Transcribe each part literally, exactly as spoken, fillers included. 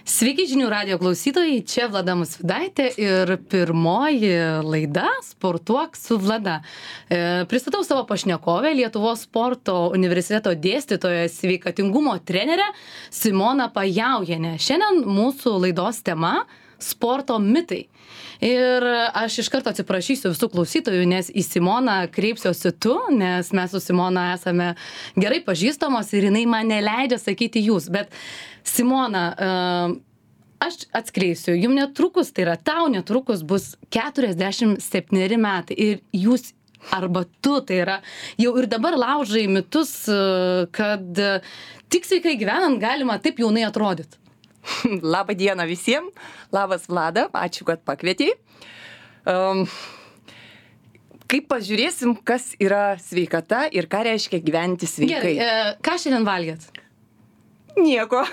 Sveiki žinių radijo klausytojai, čia Vlada Musvydaitė ir pirmoji laida Sportuok su Vlada. E, pristatau savo pašnekovę, Lietuvos sporto universiteto dėstytoją, sveikatingumo trenerę Simoną Pajaujienę. Šiandien mūsų laidos tema – sporto mitai. Ir aš iš karto atsiprašysiu visų klausytojų, nes į Simoną kreipsiuosi tu, nes mes su Simona esame gerai pažįstamos ir jinai man neleidžia sakyti jūs. Bet Simona, aš atskleisiu, jums netrukus, tai yra tau netrukus bus keturiasdešimt septyneri metai ir jūs arba tu, tai yra jau ir dabar laužai mitus, kad tik sveikai gyvenant galima taip jaunai atrodyti. Labą dieną visiems, labas Vlada, ačiū, kad pakvietei. Um, kaip pažiūrėsim, kas yra sveikata ir ką reiškia gyventi sveikai. Gerai, e, ką šiandien valgėt? Nieko.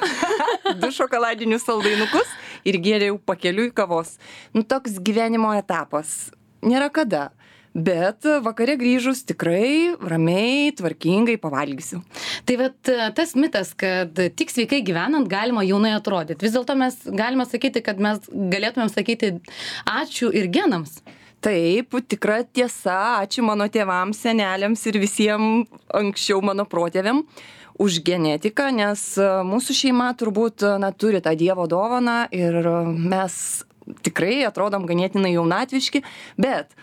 Du šokoladinius saldainukus ir gėriau pakeliui kavos. Nu, toks gyvenimo etapas. Nėra kada. Bet vakare grįžus tikrai ramiai, tvarkingai pavalgysiu. Tai vat tas mitas, kad tik sveikai gyvenant galima jaunai atrodyti. Vis dėlto mes galime sakyti, kad mes galėtumėm sakyti ačiū ir genams. Taip, tikra tiesa, ačiū mano tėvams, seneliams ir visiems anksčiau mano protėviam už genetiką, nes mūsų šeima turbūt na, turi tą Dievo dovaną ir mes tikrai atrodom ganėtinai jaunatviški, bet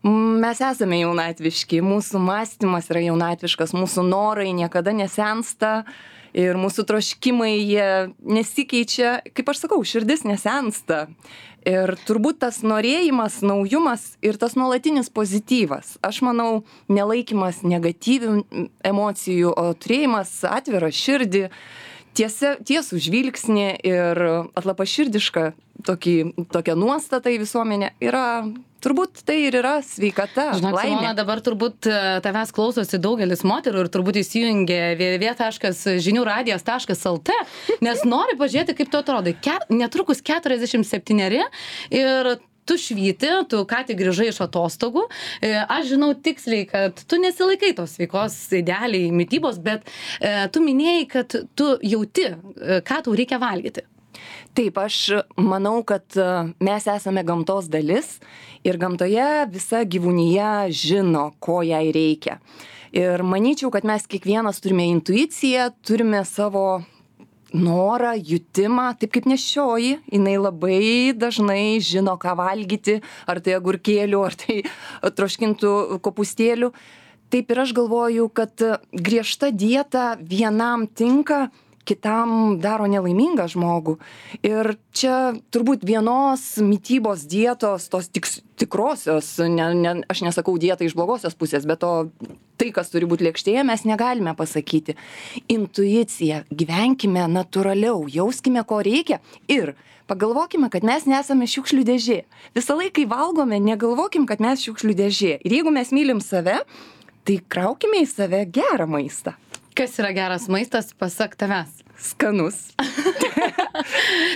mes esame jaunatviški, mūsų mąstymas yra jaunatviškas, mūsų norai niekada nesensta ir mūsų troškimai jie nesikeičia, kaip aš sakau, širdis nesensta. Ir turbūt tas norėjimas, naujumas ir tas nuolatinis pozityvas. Aš manau, nelaikymas negatyvių emocijų, o turėjimas atvirą širdį, tiesia, tiesų žvilgsnį ir atlapaširdišką tokį, tokią nuostatą į visuomenę yra, turbūt tai ir yra sveikata, Žinok, laimė. Simona, dabar turbūt tavęs klausosi daugelis moterų ir turbūt įsijungia w w w taškas žinių radijas taškas l t, nes nori pažiūrėti, kaip tu atrodai. Ket, netrukus keturiasdešimt septyneri ir tu švyti, tu ką tik grįžai iš atostogų. Aš žinau tiksliai, kad tu nesilaikai tos sveikos idealiai mitybos, bet e, tu minėjai, kad tu jauti, ką tau reikia valgyti. Taip, aš manau, kad mes esame gamtos dalis ir gamtoje visa gyvūnija žino, ko jai reikia. Ir manyčiau, kad mes kiekvienas turime intuiciją, turime savo norą, jutimą, taip kaip nešioji, jinai labai dažnai žino, ką valgyti, ar tai agurkėlių, ar tai troškintų kopūstėlių. Taip ir aš galvoju, kad griežta dieta vienam tinka, kitam daro nelaimingą žmogų. Ir čia turbūt vienos mitybos dietos, tos tik, tikrosios, ne, ne, aš nesakau dietą iš blogosios pusės, bet to tai, kas turi būti lėkštėje, mes negalime pasakyti. Intuicija, gyvenkime natūraliau, jauskime, ko reikia ir pagalvokime, kad mes nesame šiukšlių dėžė. Visą laiką, kai valgome, negalvokim, kad mes šiukšlių dėžė. Ir jeigu mes mylim save, tai kraukime į save gerą maistą. Kas yra geras maistas, pasak tavęs? Skanus.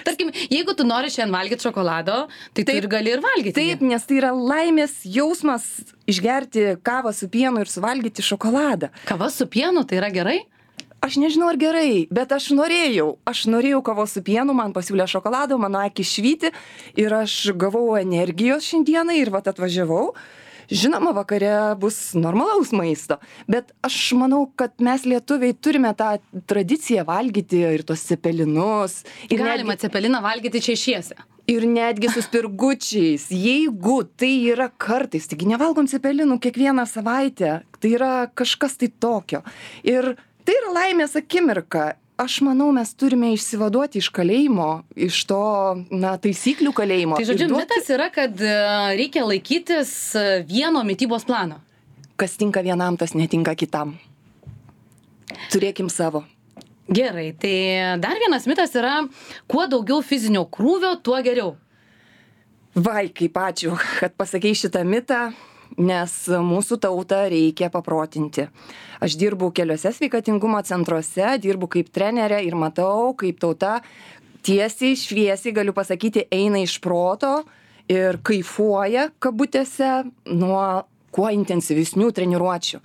Tarkim, jeigu tu nori šiandien valgyti šokolado, tai tai ir gali ir valgyti. Taip, nes tai yra laimės jausmas išgerti kavą su pienu ir suvalgyti šokoladą. Kava su pienu, tai yra gerai? Aš nežinau, ar gerai, bet aš norėjau. Aš norėjau kavos su pienu, man pasiūlė šokolado, mano akis švyti ir aš gavau energijos šiandieną ir vat atvažiavau. Žinoma, vakare bus normalaus maisto, bet aš manau, kad mes lietuviai turime tą tradiciją valgyti ir tos cepelinus. Ir galima netgi, cepeliną valgyti češiese. Ir netgi su spirgučiais. Jeigu tai yra kartais, taigi nevalgom cepelinų kiekvieną savaitę, tai yra kažkas tai tokio. Ir tai yra laimės akimirka. Aš manau, mes turime išsivaduoti iš kalėjimo, iš to, na, taisyklių kalėjimo. Tai žodžiu, duoti... mitas yra, kad reikia laikytis vieno mitybos plano. Kas tinka vienam, tas netinka kitam. Turėkim savo. Gerai, tai dar vienas mitas yra, kuo daugiau fizinio krūvio, tuo geriau. Vai, kaip ačiū, kad pasakei šitą mitą. Nes mūsų tautą reikia paprotinti. Aš dirbu keliose sveikatingumo centruose, dirbu kaip trenerė ir matau, kaip tauta tiesiai, šviesiai, galiu pasakyti, eina iš proto ir kaifuoja, kabutėse, nuo kuo intensyvesnių treniruočių.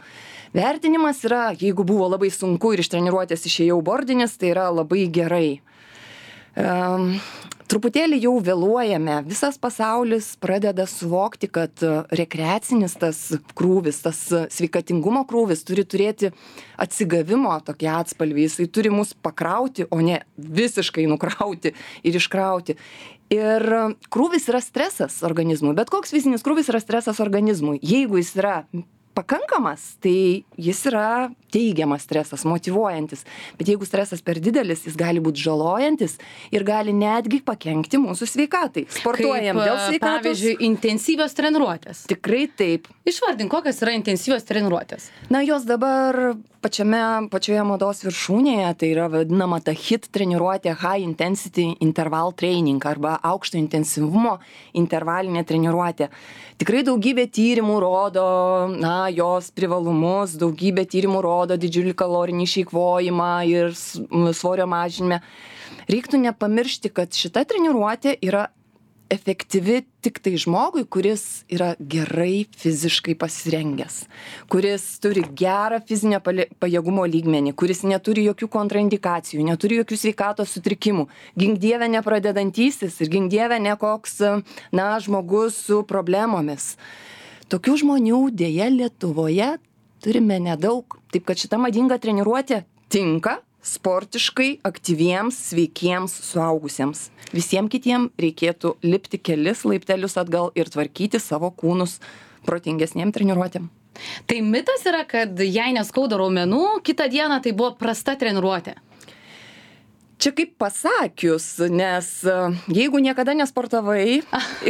Vertinimas yra, jeigu buvo labai sunku ir iš treniruotės išėjau bordinis, tai yra labai gerai. Um, truputėlį jau vėluojame. Visas pasaulis pradeda suvokti, kad rekreacinis tas krūvis, tas sveikatingumo krūvis turi turėti atsigavimo tokį atspalvį. Jisai turi mus pakrauti, o ne visiškai nukrauti ir iškrauti. Ir krūvis yra stresas organizmui. Bet koks fizinis krūvis yra stresas organizmui. Jeigu jis yra pakankamas, tai jis yra teigiamas stresas, motyvuojantis. Bet jeigu stresas per didelis, jis gali būti žalojantis ir gali netgi pakenkti mūsų sveikatai. Sportuojam Kaip, dėl sveikatos. Pavyzdžiui, intensyvios treniruotės. Tikrai taip. Išvardink, kokios yra intensyvios treniruotės. Na, jos dabar pačiame, pačioje mados viršūnėje, tai yra vadinama ta hit treniruotė, high intensity interval training arba aukšto intensyvumo intervalinė treniruotė. Tikrai daugybė tyrimų rodo, na, jos privalumus, daugybė tyrimų rodo didžiulį kalorinį išeikvojimą ir svorio mažinimą. Reiktų nepamiršti, kad šita treniruotė yra efektyvi tik tai žmogui, kuris yra gerai fiziškai pasirengęs, kuris turi gerą fizinio pajėgumo lygmenį, kuris neturi jokių kontraindikacijų, neturi jokių sveikatos sutrikimų. Gink dieve nepradedantysis ir gink dieve ne koks, na, žmogus su problemomis. Tokių žmonių dėja Lietuvoje turime nedaug, taip kad šita madinga treniruotė tinka sportiškai aktyviems, sveikiems suaugusiems. Visiems kitiems reikėtų lipti kelis laiptelius atgal ir tvarkyti savo kūnus protingesniem treniruotėm. Tai mitas yra, kad jei neskauda raumenų, kitą dieną tai buvo prasta treniruotė. Čia kaip pasakius, nes jeigu niekada nesportavai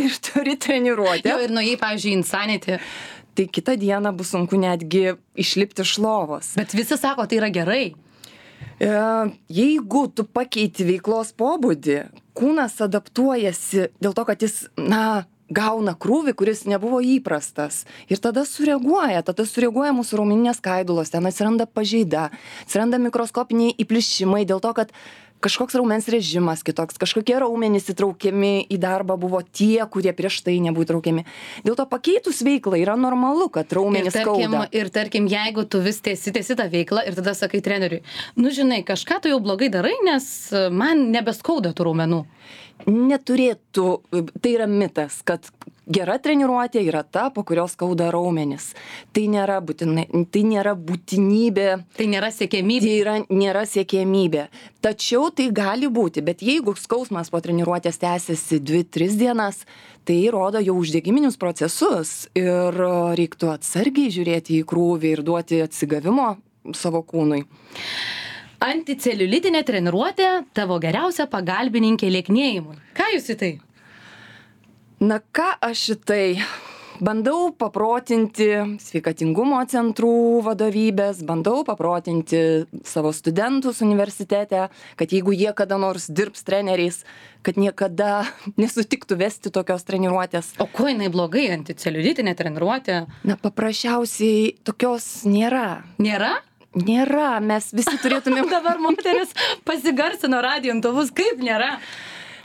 ir turi treniruotę. Jo, ir nuėjai, pavyzdžiui, Insanity. Tai kitą dieną bus sunku netgi išlipti iš lovos. Bet visi sako, tai yra gerai. Jeigu tu pakeiti veiklos pobūdį, kūnas adaptuojasi dėl to, kad jis, na, gauna krūvį, kuris nebuvo įprastas. Ir tada sureaguoja, tada sureaguoja mūsų raumeninės skaidulos, ten atsiranda pažeida, atsiranda mikroskopiniai įplyšimai dėl to, kad kažkoks raumens režimas kitoks, kažkokie raumenys įtraukiami į darbą buvo tie, kurie prieš tai nebuvo įtraukiami. Dėl to pakeitus veiklą yra normalu, kad raumenys ir tarkim, skauda. Ir tarkim, jeigu tu vis tiesi, tiesi tą veiklą ir tada sakai treneriui, nu žinai, kažką tu jau blogai darai, nes man nebeskauda tų raumenų. Neturėtų, tai yra mitas, kad gera treniruotė yra ta, po kurios skauda raumenis. Tai nėra, būtinai, tai nėra būtinybė. Tai nėra siekiamybė. Tai yra, nėra siekiamybė. Tačiau tai gali būti, bet jeigu skausmas po treniruotės tęsiasi dvi tris dienas, tai rodo jau uždegiminius procesus ir reiktų atsargiai žiūrėti į krūvį ir duoti atsigavimo savo kūnui. Anticeliulitinė treniruotė tavo geriausia pagalbininkė lieknėjimui. Ką jūs į tai? Na ką aš į tai? Bandau paprotinti sveikatingumo centrų vadovybės, bandau paprotinti savo studentus universitete, kad jeigu jie kada nors dirbs treneriais, kad niekada nesutiktų vesti tokios treniruotės. O kuo jinai blogai, anticeliulitinė treniruotė? Na paprasčiausiai tokios nėra. Nėra? Nėra, mes visi turėtumėm. Dabar moteris pasigarsino radijo imtuvus, kaip nėra.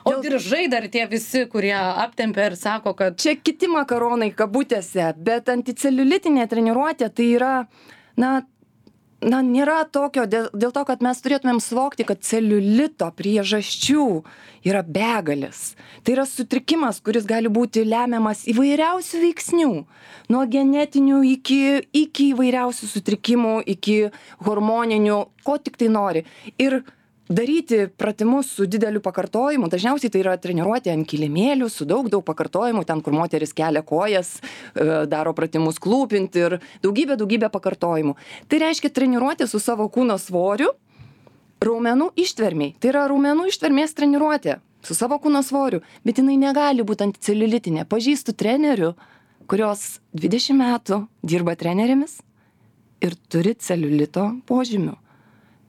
O Dėl... diržai dar tie visi, kurie aptempia ir sako, kad... Čia kiti makaronai kabutėse, bet anticeliulitinė treniruotė tai yra, na, na nėra tokio, dėl, dėl to, kad mes turėtumėm suvokti, kad celiulito priežasčių yra begalės. Tai yra sutrikimas, kuris gali būti lemiamas įvairiausių veiksnių. Nuo genetinių iki, iki įvairiausių sutrikimų, iki hormoninių, ko tik tai nori. Ir daryti pratimus su dideliu pakartojimu, dažniausiai tai yra treniruotė ant kilimėlių, su daug, daug pakartojimų, ten, kur moteris kelia kojas, daro pratimus klūpinti ir daugybė, daugybė pakartojimų. Tai reiškia treniruotė su savo kūno svoriu, raumenų ištvermiai. Tai yra raumenų ištvermės treniruotė su savo kūno svoriu, bet jinai negali būti anticeliulitinė. Pažįstu trenerių, kurios dvidešimt metų dirba trenerėmis ir turi celiulito požymių.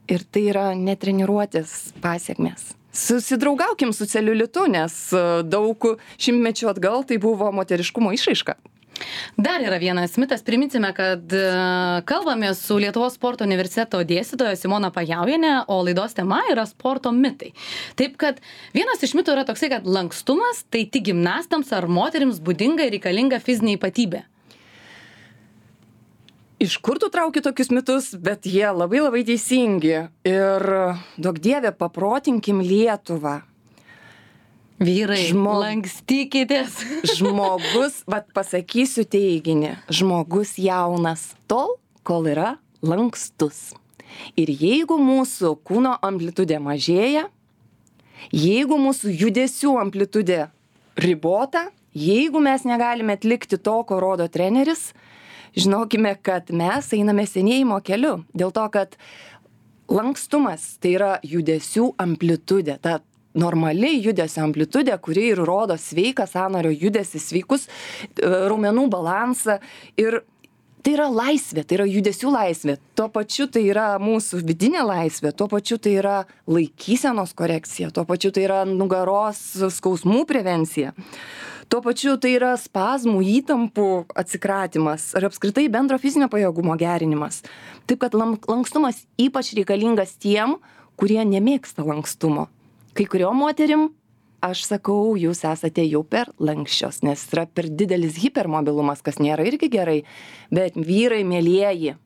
Ir tai yra netreniruotės pasiekmės. Susidraugaukim su celiulitu, nes daug šimtmečių atgal tai buvo moteriškumo išraiška. Dar yra vienas mitas, priminsime, kad kalbame su Lietuvos sporto universiteto dėstytoja Simona Pajaujienė, o laidos tema yra sporto mitai. Taip kad vienas iš mitų yra toksai, kad lankstumas tai tik gimnastams ar moterims būdinga ir reikalinga fizinė ypatybė. Iš kur tu trauki tokius mitus, bet jie labai labai teisingi. Ir duok dieve, paprotinkim Lietuvą. Vyrai, Žmo- lankstykitės. Žmogus, vat pasakysiu teiginį, žmogus jaunas tol, kol yra lankstus. Ir jeigu mūsų kūno amplitudė mažėja, jeigu mūsų judesių amplitudė ribota, jeigu mes negalime atlikti to, ko rodo treneris, žinokime, kad mes einame senėjimo keliu. Dėl to, kad lankstumas tai yra judesių amplitudė, ta normali judesio amplitudė, kuri ir rodo sveiką sąnario judesį, sveikus e, raumenų balansą. Ir tai yra laisvė, tai yra judesių laisvė. Tuo pačiu tai yra mūsų vidinė laisvė, tuo pačiu tai yra laikysenos korekcija, tuo pačiu tai yra nugaros skausmų prevencija. Tuo pačiu tai yra spazmų, įtampų atsikratymas ar apskritai bendro fizinio pajėgumo gerinimas. Taip kad lankstumas ypač reikalingas tiem, kurie nemėgsta lankstumo. Kai kuriuom moterim, aš sakau, jūs esate jau per lankščios, nes yra per didelis hipermobilumas, kas nėra irgi gerai. Bet vyrai, mielieji,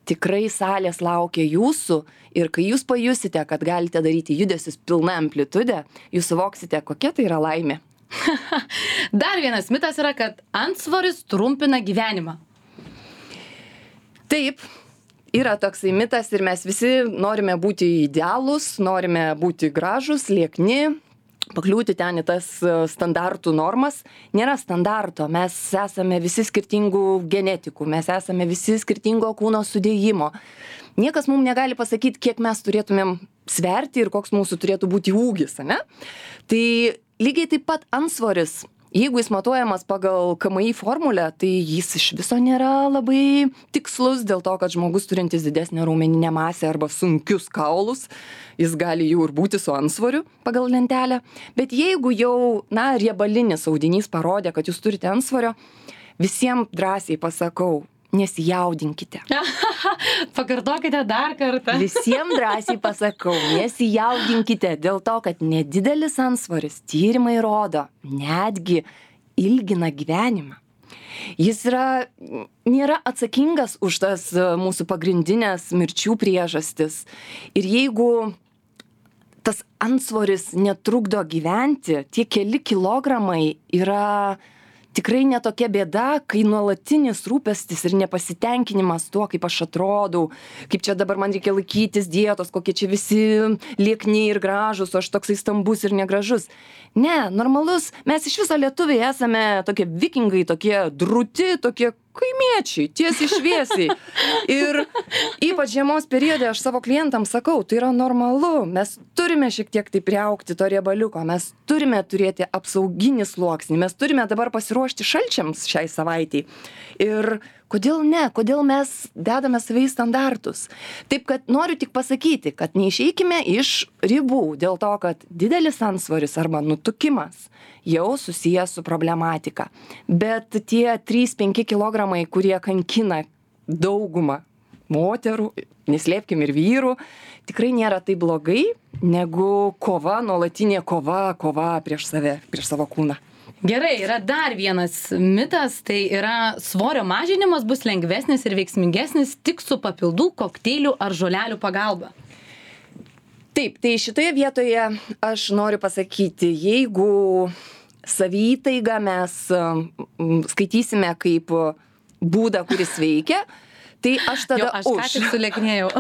tikrai salės laukia jūsų ir kai jūs pajusite, kad galite daryti judesius pilna amplitude, jūs suvoksite, kokia tai yra laimė. Dar vienas mitas yra, kad antsvoris trumpina gyvenimą. Taip, yra toksai mitas ir mes visi norime būti idealūs, norime būti gražus, liekni, pakliūti ten į tas standartų normas. Nėra standarto, mes esame visi skirtingų genetikų, mes esame visi skirtingo kūno sudėjimo. Niekas mums negali pasakyti, kiek mes turėtumėm sverti ir koks mūsų turėtų būti ūgis, ane? Tai lygiai taip pat antsvoris, jeigu jis matuojamas pagal K M I formulę, tai jis iš viso nėra labai tikslus dėl to, kad žmogus turintis didesnę raumeninę masę arba sunkius kaulus, jis gali jau ir būti su antsvoriu pagal lentelę. Bet jeigu jau, na, riebalinis audinys parodė, kad jūs turite antsvorio, visiems drąsiai pasakau, nesijaudinkite. Pakartokite dar kartą. Visiems drąsiai pasakau, nesijaudinkite dėl to, kad nedidelis antsvoris, tyrimai rodo, netgi ilgina gyvenimą. Jis yra, nėra atsakingas už tas mūsų pagrindinės mirčių priežastis. Ir jeigu tas antsvoris netrukdo gyventi, tie keli kilogramai yra tikrai netokia bėda, kai nuolatinis rūpestis ir nepasitenkinimas tuo, kaip aš atrodau, kaip čia dabar man reikia laikytis dietos, kokie čia visi liekni ir gražus, o aš toksai stambus ir negražus. Ne, normalus, mes iš viso lietuviai esame tokie vikingai, tokie drūti, tokie kaimiečiai, tiesiai šviesiai. Ir ypač žiemos periode aš savo klientams sakau, tai yra normalu, mes turime šiek tiek tai priaugti to riebaliuko, mes turime turėti apsauginį sluoksnį, mes turime dabar pasiruošti šalčiams šiai savaitei. Ir kodėl ne, kodėl mes dedame save į standartus. Taip kad noriu tik pasakyti, kad neišeikime iš ribų dėl to, kad didelis antsvoris arba nutukimas jau susijęs su problematika. Bet tie trys penki kilogramai, kurie kankina daugumą moterų, neslėpkim ir vyrų, tikrai nėra taip blogai, negu kova, nuolatinė kova, kova prieš save, prieš savo kūną. Gerai, yra dar vienas mitas, tai yra svorio mažinimas bus lengvesnis ir veiksmingesnis tik su papildų, kokteilių ar žolelių pagalba. Taip, tai šitoje vietoje aš noriu pasakyti, jeigu saviįtaigą mes skaitysime kaip būdą, kuris veikia, tai aš tada jo, aš už. ką tik sulieknėjau.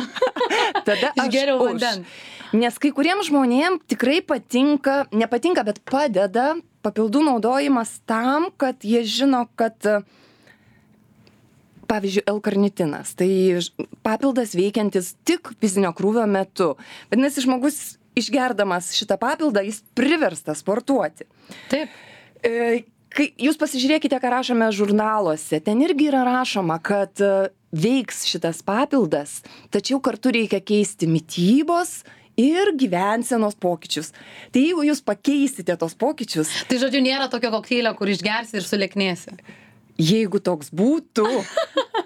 Tada aš Išgeriau už. vandens. Nes kai kuriems žmonėms tikrai patinka, nepatinka, bet padeda papildų naudojimas tam, kad jie žino, kad pavyzdžiui, L-karnitinas, tai papildas veikiantis tik fizinio krūvio metu. Vadinasi, žmogus išgerdamas šitą papildą, jis priverstas sportuoti. Taip. E, kai jūs pasižiūrėkite, ką rašome žurnaluose, ten irgi yra rašoma, kad veiks šitas papildas, tačiau kartu reikia keisti mitybos ir gyvensenos pokyčius. Tai jeigu jūs pakeisite tos pokyčius... Tai žodžiu, nėra tokio kokteilio, kur išgersi ir sulieknėsi. Jeigu toks būtų,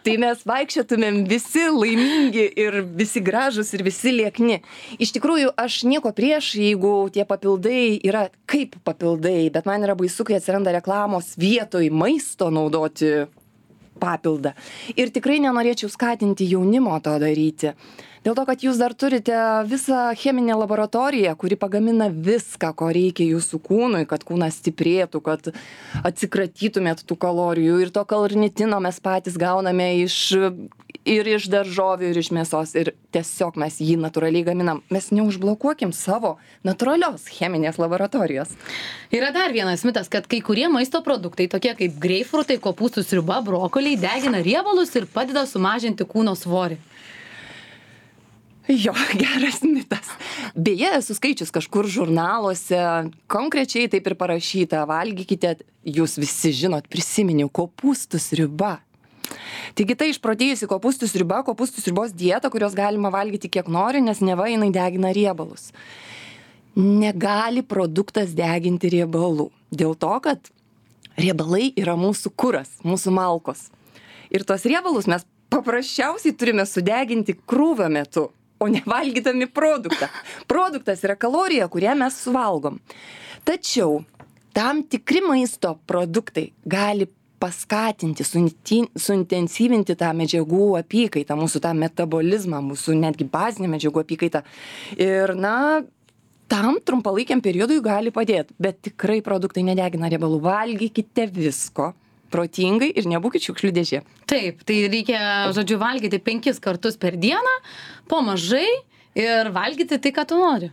tai mes vaikščiotumėm visi laimingi ir visi gražus ir visi liekni. Iš tikrųjų, aš nieko prieš, jeigu tie papildai yra kaip papildai, bet man yra baisu, kai atsiranda reklamos vietoj maisto naudoti papildą. Ir tikrai nenorėčiau skatinti jaunimo to daryti. Dėl to, kad jūs dar turite visą cheminę laboratoriją, kuri pagamina viską, ko reikia jūsų kūnui, kad kūnas stiprėtų, kad atsikratytumėt tų kalorijų. Ir to karnitino mes patys gauname iš, ir iš daržovių, ir iš mėsos. Ir tiesiog mes jį natūraliai gaminam. Mes neužblokuokim savo natūralios cheminės laboratorijos. Yra dar vienas mitas, kad kai kurie maisto produktai, tokie kaip greipfrutai, kopūstų sriuba, brokoliai, degina riebalus ir padeda sumažinti kūno svorį. Jo, geras mitas. Beje, esu skaičius kažkur žurnaluose, konkrečiai taip ir parašyta, valgykite, jūs visi žinot, prisiminiau, kopūstų sriuba. Taigi tai išprotėjusi kopūstų sriuba, kopūstų sriubos dieta, kurios galima valgyti kiek nori, nes neva jinai degina riebalus. Negali produktas deginti riebalų. Dėl to, kad riebalai yra mūsų kuras, mūsų malkos. Ir tos riebalus mes paprasčiausiai turime sudeginti krūvio metu, o ne valgydami produktą. Produktas yra kalorija, kurią mes suvalgom. Tačiau tam tikri maisto produktai gali paskatinti, suintensyvinti tą medžiagų apykaitą, mūsų tą metabolizmą, mūsų netgi bazinę medžiagų apykaitą. Ir, na, tam trumpalaikiam periodui gali padėti, bet tikrai produktai nedegina riebalų. Valgykite visko protingai ir nebūkit šiukšlių dėžė. Taip, tai reikia, žodžiu, valgyti penkis kartus per dieną, po mažai ir valgyti tai, ką tu nori.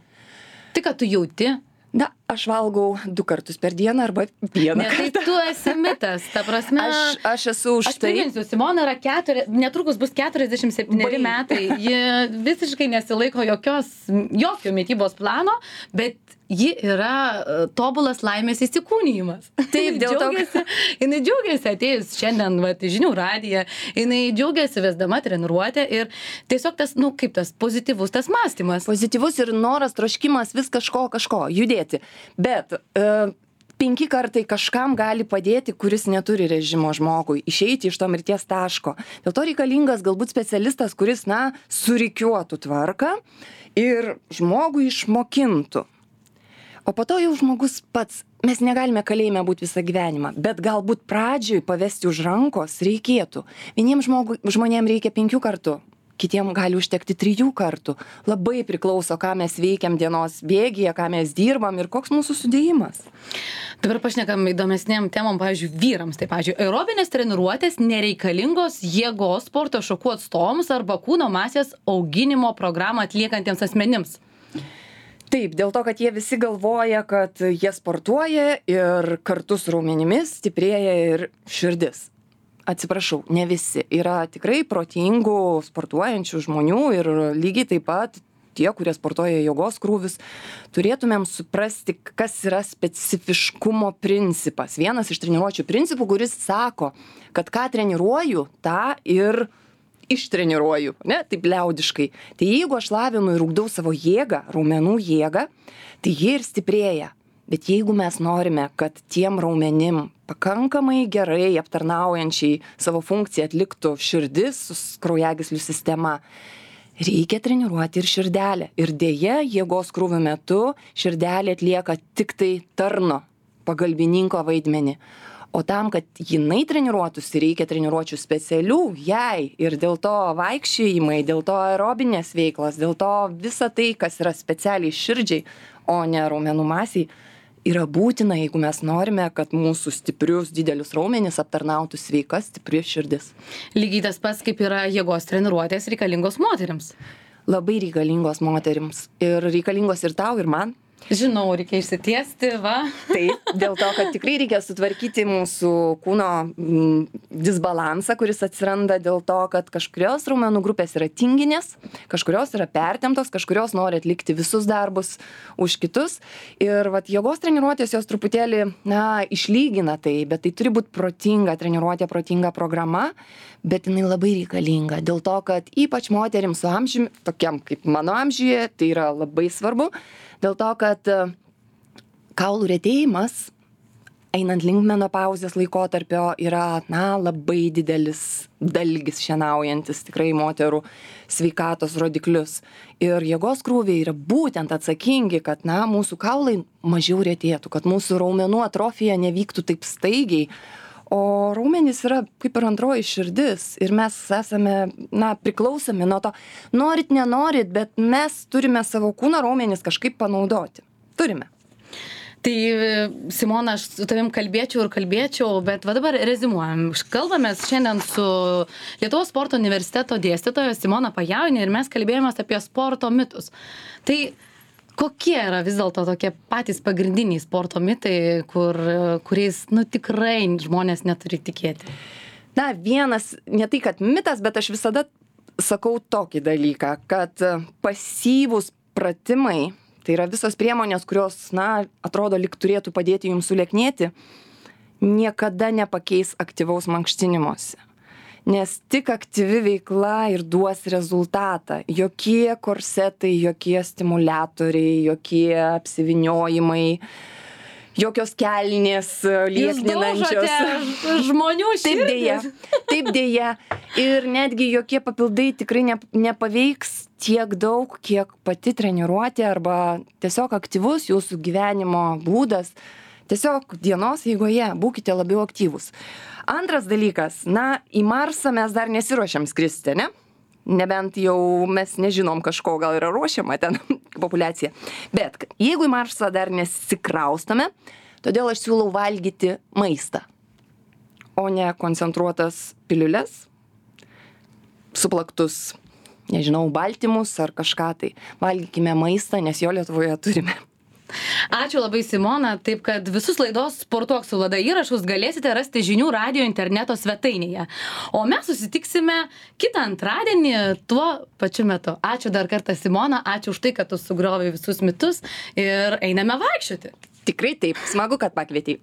Tai, ką tu jauti. Na, aš valgau du kartus per dieną arba vieną ne, kartą. Tai tu esi mitas, ta prasme. Aš, aš esu už aš tai. Aš priminsiu, Simona yra keturi, netrukus bus keturiasdešimt septyneri metai. Ji visiškai nesilaiko jokios, jokio mitybos plano, bet ji yra tobulas laimės įsikūnijimas. Taip, dėl to, kad... Jinai džiaugiasi atėjus šiandien vat, žinių radiją, jinai džiaugiasi vesdama treniruotę ir tiesiog tas, nu, kaip tas pozityvus tas mąstymas. Pozityvus ir noras, troškimas vis kažko, kažko, judėti. Bet e, penki kartai kažkam gali padėti, kuris neturi režimo žmogui, išeiti iš to mirties taško. Dėl to reikalingas galbūt specialistas, kuris, na, surikiuotų tvarką ir žmogui išmokintų. O po to jau žmogus pats, mes negalime kalėjime būti visą gyvenimą, bet galbūt pradžioj pavesti už rankos reikėtų. Vieniems žmonėms reikia penkių kartų, kitiems gali užtekti trijų kartų. Labai priklauso, ką mes veikiam dienos bėgyje, ką mes dirbam ir koks mūsų sudėjimas. Dabar pašnekam įdomesnėm temom, pavyzdžiui, vyrams. Tai, pavyzdžiui, aerobinės treniruotės nereikalingos jėgos sporto šakų atstovams arba kūno masės auginimo programą atliekantiems asmenims. Taip, dėl to, kad jie visi galvoja, kad jie sportuoja ir kartu su raumenimis stiprėja ir širdis. Atsiprašau, ne visi. Yra tikrai protingų sportuojančių žmonių ir lygiai taip pat tie, kurie sportuoja jėgos krūvis, turėtumėm suprasti, kas yra specifiškumo principas. Vienas iš treniruočių principų, kuris sako, kad ką treniruoju, tą ir ištreniruoju, ne, taip liaudiškai. Tai jeigu aš lavinu ir ugdau savo jėgą, raumenų jėgą, tai jie ir stiprėja. Bet jeigu mes norime, kad tiem raumenim pakankamai gerai aptarnaujančiai savo funkciją atliktų širdis su kraujagyslių sistema, reikia treniruoti ir širdelę. Ir dėja, jėgos krūvių metu širdelė atlieka tik tai tarno, pagalbininko vaidmenį. O tam, kad jinai treniruotųsi, reikia treniruočių specialių jai ir dėl to vaikščiojimai, dėl to aerobinės veiklos, dėl to visa tai, kas yra specialiai širdžiai, o ne raumenų masiai, yra būtina, jeigu mes norime, kad mūsų stiprius didelius raumenis aptarnautų sveika, stipri širdis. Lygiai tas pats, kaip yra jėgos treniruotės reikalingos moterims. Labai reikalingos moterims ir reikalingos ir tau, ir man. Žinau, reikia išsitiesti, va. Taip, dėl to, kad tikrai reikia sutvarkyti mūsų kūno m, disbalansą, kuris atsiranda dėl to, kad kažkurios raumenų grupės yra tinginės, kažkurios yra pertemptos, kažkurios nori atlikti visus darbus už kitus. Ir vat, jėgos treniruotės jos truputėlį, na, išlygina tai, bet tai turi būti protinga treniruotė, protinga programa, bet jinai labai reikalinga. Dėl to, kad ypač moterims su amžiumi, tokiam kaip mano amžiuje, tai yra labai svarbu. Dėl to, kad kaulų retėjimas, einant link menopauzės laikotarpio, yra, na, labai didelis dalgis šienaujantis tikrai moterų sveikatos rodiklius. Ir jėgos krūviai yra būtent atsakingi, kad, na, mūsų kaulai mažiau retėtų, kad mūsų raumenų atrofija nevyktų taip staigiai, O raumenys yra kaip ir antroji širdis ir mes esame, na, priklausomi nuo to. Norit, nenorit, bet mes turime savo kūno raumenis kažkaip panaudoti. Turime. Tai, Simona, aš su tavim kalbėčiau ir kalbėčiau, bet va dabar rezimuojam. Kalbamės šiandien su Lietuvos sporto universiteto dėstytoja Simona Pajaunė ir mes kalbėjomės apie sporto mitus. Tai kokie yra vis dėlto tokie patys pagrindiniai sporto mitai, kur, kuriais, nu, tikrai žmonės neturi tikėti? Na, vienas, ne tai kad mitas, bet aš visada sakau tokį dalyką, kad pasyvūs pratimai, tai yra visos priemonės, kurios, na, atrodo, lyg turėtų padėti jums sulieknėti, niekada nepakeis aktyvaus mankštinimuose. Nes tik aktyvi veikla ir duos rezultatą. Jokie korsetai, jokie stimuliatoriai, jokie apsivyniojimai, jokios kelnės liekninančios. Jūs daužote žmonių širdis. Taip dėja, taip dėja. Ir netgi jokie papildai tikrai ne, nepaveiks tiek daug, kiek pati treniruotė arba tiesiog aktyvus jūsų gyvenimo būdas. Tiesiog dienos eigoje būkite labiau aktyvūs. Antras dalykas, na, į Marsą mes dar nesiruošiam skristi, ne? Nebent jau mes nežinom kažko, gal yra ruošiama ten populiacija. Bet jeigu į Marsą dar nesikraustame, todėl aš siūlau valgyti maistą, o ne koncentruotas piliules, suplaktus, nežinau, baltymus ar kažką tai. Valgykime maistą, nes jo Lietuvoje turime. Ačiū labai, Simona, taip kad visus laidos Sportuok su Vlada įrašus galėsite rasti žinių radijo interneto svetainėje. O mes susitiksime kitą antradienį tuo pačiu metu. Ačiū dar kartą, Simona, ačiū už tai, kad tu sugriovei visus mitus ir einame vaikščioti. Tikrai taip, smagu, kad pakvietei.